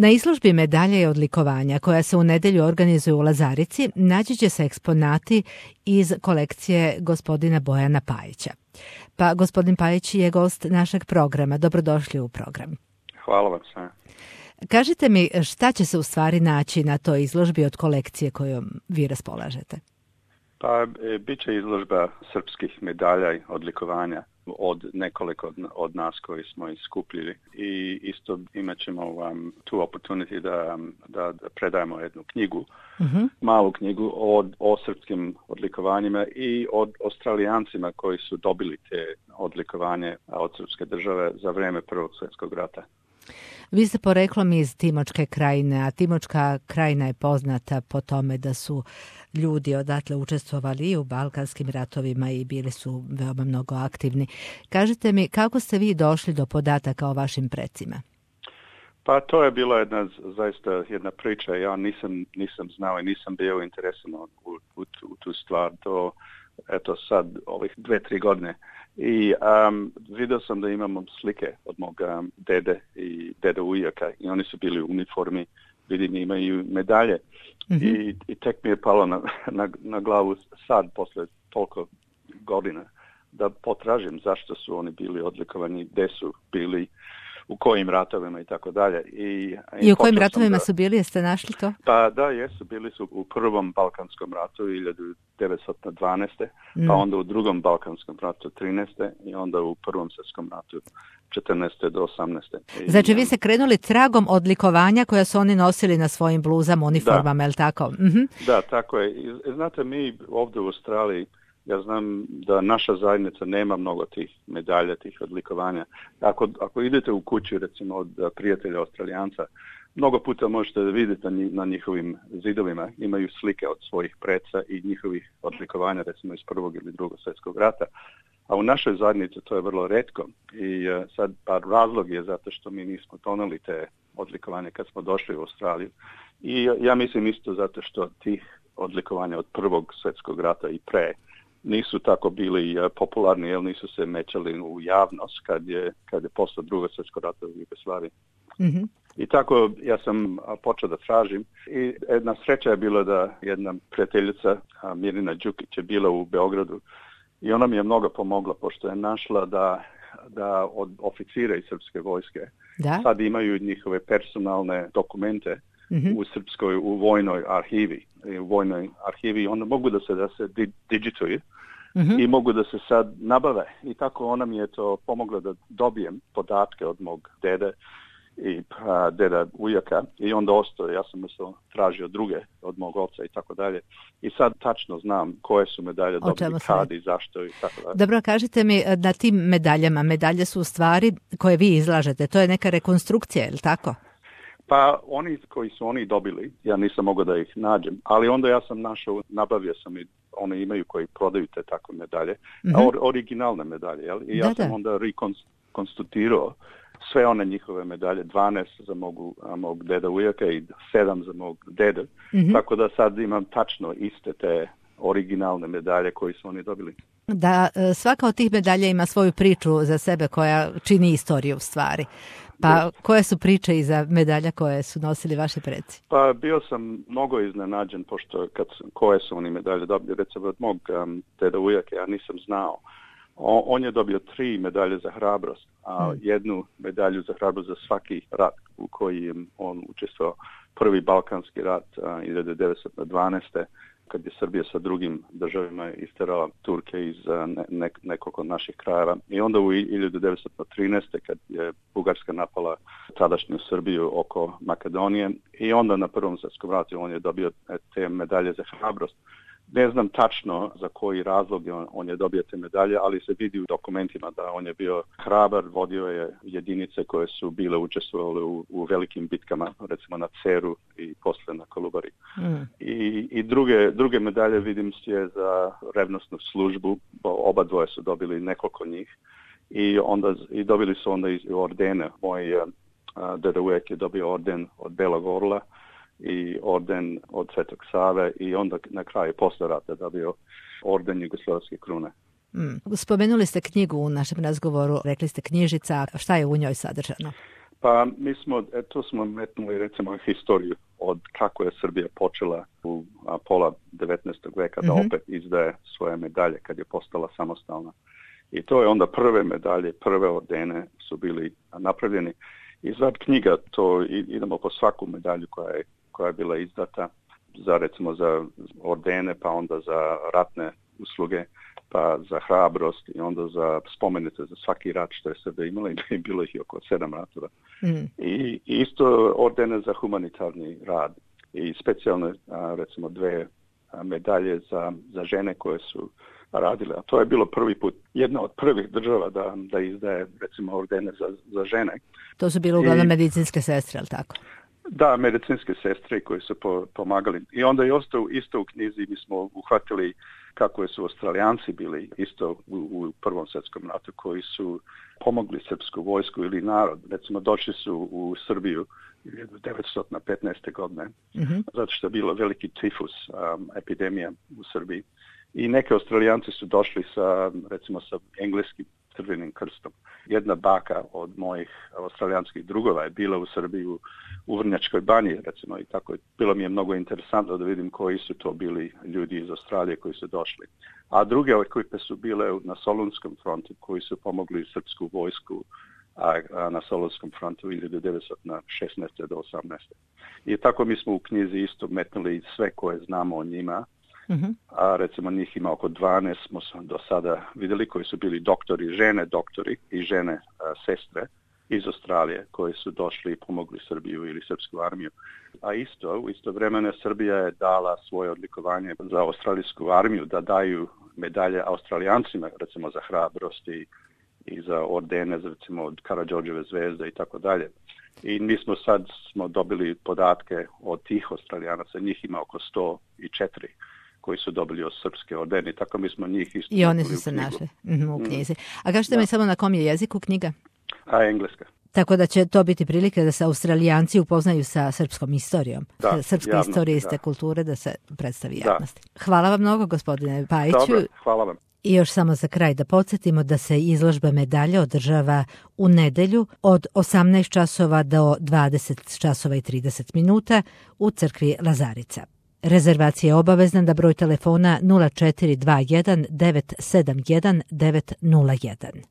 Na izložbi medalje i odlikovanja koja se u nedjelju organizuje u Lazarici naći će se eksponati iz kolekcije gospodina Bojana Pajića. Pa gospodin Pajić je gost našeg programa. Dobrodošli u program. Hvala vam sve. Kažite mi šta će se u stvari naći na toj izložbi od kolekcije kojom vi raspolažete? Pa bit će izložba srpskih medalja i odlikovanja od nekoliko od nas koji smo ih skupljili i isto imat ćemo vam tu opportunity da predajemo jednu knjigu, malu knjigu o srpskim odlikovanjima i od Australijancima koji su dobili te odlikovanje od srpske države za vrijeme Prvog svjetskog rata. Vi ste poreklom iz Timočke krajine, a Timočka krajina je poznata po tome da su ljudi odatle učestvovali i u balkanskim ratovima i bili su veoma mnogo aktivni. Kažite mi, kako ste vi došli do podataka o vašim precima? Pa to je bila zaista jedna priča. Ja nisam znao i nisam bio interesan u tu stvar. To, eto sad, ovih 2-3 godine. I vidio sam da imamo slike od mog dede i deda ujaka i oni su bili u uniformi, vidim imaju medalje. I tek mi je palo na glavu sad, posle toliko godina, da potražim zašto su oni bili odlikovani, gde su bili, u kojim ratovima i tako dalje. I u kojim ratovima su bili, jeste našli to? Pa da, jesu, bili su u prvom Balkanskom ratu 1912. Pa onda u drugom Balkanskom ratu 13. i onda u prvom svjetskom ratu 14. do 18. Znači vi ste krenuli tragom odlikovanja koja su oni nosili na svojim bluzama, uniformama, je li tako? Da, tako je. I, znate, mi ovdje u Australiji, ja znam da naša zajednica nema mnogo tih medalja, tih odlikovanja. Ako idete u kuću, recimo, od prijatelja Australijanca, mnogo puta možete vidjeti na njihovim zidovima, imaju slike od svojih preca i njihovih odlikovanja, recimo iz Prvog ili Drugog svjetskog rata. A u našoj zajednici to je vrlo retko. I sad razlog je zato što mi nismo doneli te odlikovanja kad smo došli u Australiju. I ja mislim isto zato što tih odlikovanja od Prvog svjetskog rata i pre nisu tako bili popularni, jer nisu se mećali u javnost kad je posle Drugog svjetskog rata u Jugoslaviji. I tako ja sam počeo da tražim i jedna sreća je bila da jedna prijateljica Mirina Đukić je bila u Beogradu i ona mi je mnogo pomogla pošto je našla da od oficira iz srpske vojske sad imaju njihove personalne dokumente u srpskoj, u vojnoj arhivi, onda mogu da se digituju i mogu da se sad nabave. I tako ona mi je to pomogla da dobijem podatke od mog dede i deda ujaka i onda ja sam tražio druge od mog oca i tako dalje. I sad tačno znam koje su medalje dobili, kad i zašto i tako dalje. Dobro, kažite mi, na tim medalje su u stvari koje vi izlažete, to je neka rekonstrukcija, je li tako? Pa oni koji su oni dobili, ja nisam mogao da ih nađem, ali onda ja sam našao, nabavio sam i one imaju koji prodaju te takve medalje, originalne medalje, jel? I ja sam onda rekonstituirao sve one njihove medalje, 12 za mog deda ujaka i 7 za mog deda, tako da sad imam tačno iste te originalne medalje koje su oni dobili. Da, svaka od tih medalja ima svoju priču za sebe koja čini istoriju u stvari. Pa koje su priče iza medalja koje su nosili vaši preci? Pa bio sam mnogo iznenađen pošto koje su oni medalje dobili. Recimo od mog deda ujaka ja nisam znao. On je dobio 3 medalje za hrabrost, a jednu medalju za hrabrost za svaki rat u kojem on učestvovao. Prvi Balkanski rat 1912. kad je Srbija sa drugim državama isterala Turke iz nekoliko naših krajeva. I onda u 1913. kad je Bugarska napala tadašnju Srbiju oko Makedonije i onda na Prvom svjetskom ratu on je dobio te medalje za hrabrost. Ne znam tačno za koji razlog on je dobio te medalje, ali se vidi u dokumentima da on je bio hrabar, vodio je jedinice koje su bile učestvovale u velikim bitkama, recimo na Ceru i posle na Kolubari. I druge medalje vidim je za revnosnu službu, oba dvoje su dobili nekoliko njih i dobili su onda i ordene. Moj deda ujak je dobio orden od Belog orla i orden od Svetog Save i onda na kraju posle rata dobio orden Jugoslavske krune. Spomenuli ste knjigu u našem razgovoru, rekli ste knjižica, šta je u njoj sadržano? Pa mi smo, tu smo metnuli recimo historiju od kako je Srbija počela u pola 19. veka da opet izdaje svoje medalje kad je postala samostalna. I to je onda prve medalje, prve ordene su bili napravljeni. I za knjiga to idemo po svaku medalju koja je bila izdata za recimo za ordene, pa onda za ratne usluge, pa za hrabrost i onda za spomenice za svaki rat što je Srbija imala i bilo ih oko 7 ratova. I isto ordene za humanitarni rad i specijalne recimo 2 medalje za žene koje su radile. A to je bilo prvi put, jedna od prvih država da izdaje recimo ordene za žene. To su bile uglavnom medicinske sestre, ali tako? Da, medicinske sestre koji su pomagali. I onda je isto u knjizi mi smo uhvatili kako su Australijanci bili isto u Prvom svjetskom ratu koji su pomogli srpsku vojsku ili narod. Recimo došli su u Srbiju 1915. godine zato što je bilo veliki tifus, epidemija u Srbiji. I neki Australijanci su došli sa engleskim Crvenim krstom. Jedna baka od mojih australijanskih drugova je bila u Srbiji u Vrnjačkoj banji, recimo, i tako. Bilo mi je mnogo interesantno da vidim koji su to bili ljudi iz Australije koji su došli. A druge ekipe su bile na Solunskom frontu koji su pomogli srpsku vojsku na Solunskom frontu 1916. do 18. I tako mi smo u knjizi isto metnuli sve koje znamo o njima. A recimo njih ima oko 12 smo do sada vidjeli koji su bili doktori i žene sestre iz Australije koji su došli i pomogli Srbiju ili srpsku armiju. A u isto vremene Srbija je dala svoje odlikovanje za australijsku armiju da daju medalje Australijancima recimo za hrabrost i za ordene recimo od Karađorđeve zvezde i tako dalje. I mi smo dobili podatke od tih Australijanaca, njih ima oko 104 koji su dobili od srpske ordene. Tako mi smo njih isto. I oni su se našli u knjizi. A kažete mi samo na kom je jeziku knjiga? Engleska. Tako da će to biti prilike da se Australijanci upoznaju sa srpskom istorijom. Srpske historijiste kulture da se predstavi javnosti. Hvala vam mnogo, gospodine Pajiću. Dobro, hvala vam. I još samo za kraj da podsjetimo da se izložba medalje održava u nedelju od 18 časova do 20 časova i 30 minuta u crkvi Lazarica. Rezervacija je obavezna na broj telefona 0421 971 901.